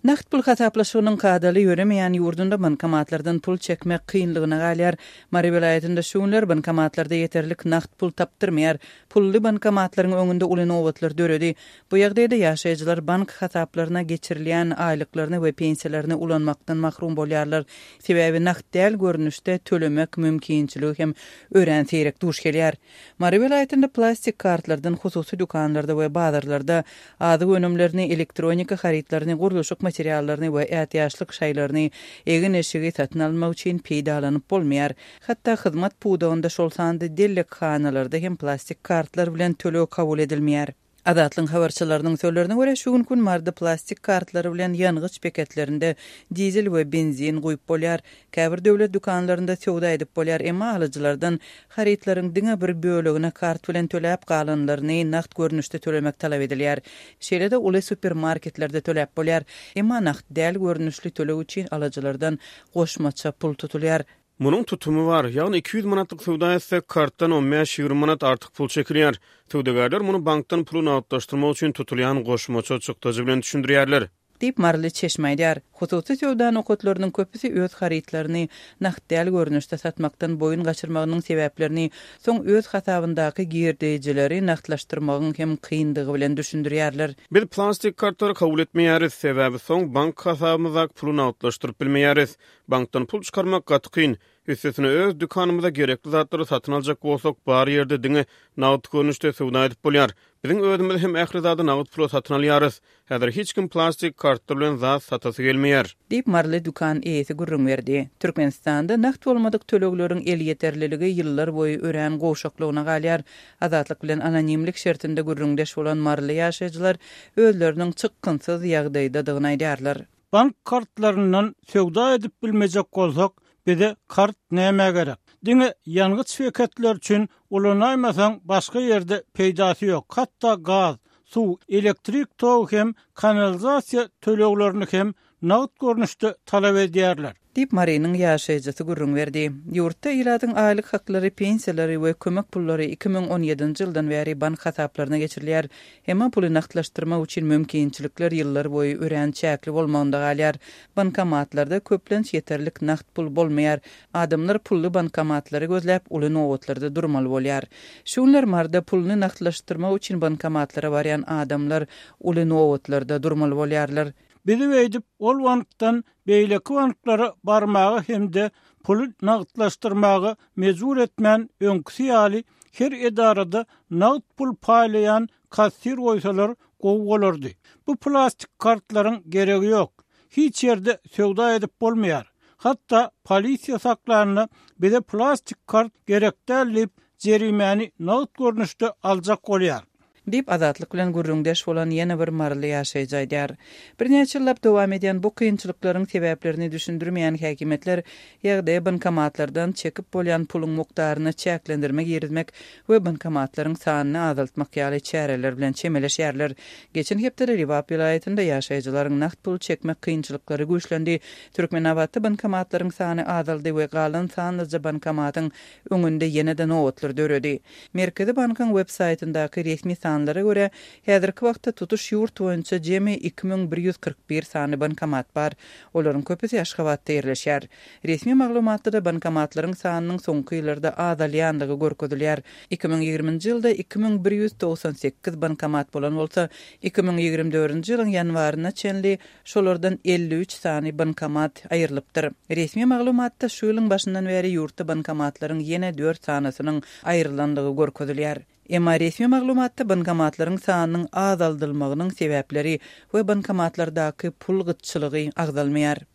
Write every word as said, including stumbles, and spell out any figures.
Nagt pul hasaplaşygynyň kadaly ýöremeýän ýurdunda bankomatlardan pul çekmek kynlygyna galýar. Mary welaýatynda şu günler bankomatlarda ýeterlik nagt pul tapdyrmaýar. Pully bankomatlaryň öňünde uly nobatlar döredi. Bu ýagdaýda ýaşaýjylar bank hasaplaryna geçirilýän aýlyklaryny we pensiýalaryny ulanmakdan mahrum bolýarlar. Sebäbi nagt däl görnüşde tölemek mümkinçiligi hem örän seýrek duş gelýär. Mary welaýatynda plastik kartlardan hususy dükanlarda we bazarlarda azyk önümlerini, elektronika harytlaryny, gurluşyk materiallaryny we ätiýaçlyk şaýlaryny, egin-eşigi satyn almak üçin peýdalanyp bolmaýar. Hatda hyzmat pudagynda şol sanda dellekhanalarda hem plastik kartlar bilen töleg kabul edilmeýär. Azatlygyň habarçylarynyň sözlerine görä, şu gün Maryda plastik kartlary bilen ýangyç beketlerinde dizel we benzin guýup bolýar. Käbir döwlet dükanlarynda söwda edip bolýar, emma alyjylardan harytlaryň diňe bir bölegine kart bilen töläp galanlaryny nagt görnüşde tölemek talap edilýär. Şeýle-de uly supermarketlerde töläp bolýar, emma nagt däl görnüşli töleg üçin alyjylardan goşmaça pul tutulýar. Munuň tutumy bar, ýagny iki ýüz manatlyk söwda etsek, kartdan on bäş-ýigrimi manat artyk pul çekilýär. Söwdagärler muny bankdan puly nagtlaşdyrmak üçin tutulýan goşmaça çykdajy bilen düşündirýärler. Diýip, maryly çeşme aýdýar. Hususy söwda nokatlarynyň köpüsi öz harytlaryny nagt däl görnüşde satmakdan boýun gaçyrmagynyň sebäplerini soň öz hasabyndaky girdejileri nagtlaşdyrmagyň hem kyndygy bilen düşündirýärler. Biz plastik kartlary kabul etmeýäris, sebäbi soň bank hasabymyzdaky puly nagtlaşdyryp bilmeýäris. Bankdan pul çykarmak gaty kyn. Üstesine öz dükanymyza gerekli zatlary satyn aljak bolsak, bar ýerde diňe nagt görnüşde söwda edip bolýar. Biziň özümiz hem ähli zady nagt pula satyn alýarys. Häzir hiç kim plastik kartlar bilen zat satasy gelmeýär. Diýip, maryly dükan eýesi gürrüň berdi. Türkmenistanda nagt bolmadyk tölegleriň elýeterliligi ýyllar boýy örän gowşaklygyna galýar. Azatlyk bilen anonimlik şertinde gürrüňdeş bolan maryly ýaşaýjylar özleriniň çykgynsyz ýagdaýdadygyny aýdýarlar. Bank kartlaryndan söwda edip bilmejek bolsak, bize kart näme gerek? Diňe ýangyç beketler üçin ulanaýmasaň başga ýerde peýdasy ýok. Hatda gaz, suw, elektrik togy hem kanalizasiýa töleglerini hem nagt görnüşde talap edýärler. Diýip, Marynyň ýaşaýjysy gürrüň berdi. Ýurtda ilatyň aýlyk haklary, pensiýalary we kömek pullary iki müň on ýedinji ýyldan bäri bank hasaplaryna geçirilýär. Emma puly nagtlaşdyrmak üçin mümkinçilikler ýyllar boýy örän çäkli bolmagynda galýar. Bankomatlarda köplenç ýeterlik nagt pul bolmaýar. Adamlar pully bankomatlary gözläp, uly nobatlarda durmaly bolýar. Şu günler Maryda puluny nagtlaşdyrmak üçin bankomatlara barýan adamlar uly nobatlarda durmaly bolýarlar. Bizi beýdip, ol bankdan beýleki banklara barmaga hem-de puly nagtlaşdyrmaga mejbur etmän öňküsi ýaly her edarada nagt pul paýlaýan kassir goýsalar gowy bolardy. Bu plastik kartlaryň geregi ýok. Hiç ýerde söwda edip bolmaýar. Hatda polisiýa saklanda bize plastik kart gerek däl diýip jerimäni nagt görnüşde aljak bolýar. Diýip, Azatlyk bilen gürrüňdeş bolan ýene bir maryly ýaşaýjy aýdýar. Birnäçe ýyllap dowam edýän bu kynçylyklaryň sebäplerini düşündirmeýän häkimiýetler ýagdaýa bankomatlardan çekip bolýan puluň mukdaryna çäklendirme girizmek we bankomatlaryň sanyny azaltmak ýaly çäreler bilen çemeleşýärler. Geçen hepdede Lebap welaýatynda ýaşaýjylaryň nagt pul çekmek kynçylyklary güýçlendi. Türkmenabatda bankomatlaryň sany azaldy we galan sanlyja bankomatyň öňünde ýene-de nobatlar döredi. Merkezi bankyň web saýtyndaky resmi sanlara görä, häzirki wagtda tutuş ýurt boýunça jemi iki müň bir ýüz kyrk bir sany bankomat bar. Olaryň köpüsi Aşgabatda ýerleşýär. Resmi maglumatda bankomatlaryň sanynyň soňky ýyllarda azalýanlygy görkezilýär. Iki müň ýigriminji ýylda iki müň bir ýüz togsan sekiz bankomat bolan bolsa, iki müň ýigrimi dördünji ýylyň ýanwaryna çenli şolardan elli üç sany bankomat aýrylypdyr. Resmi maglumatda şu ýylyň başyndan bäri ýurtda bankomatlaryň ýene dört sanysynyň aýrylanlygy görkezilýär. Emma resmi maglumatda bankomatlaryň sanynyň azaldylmagynyň sebäpleri we bankomatlardaky pul gytçylygy agzalmaýar.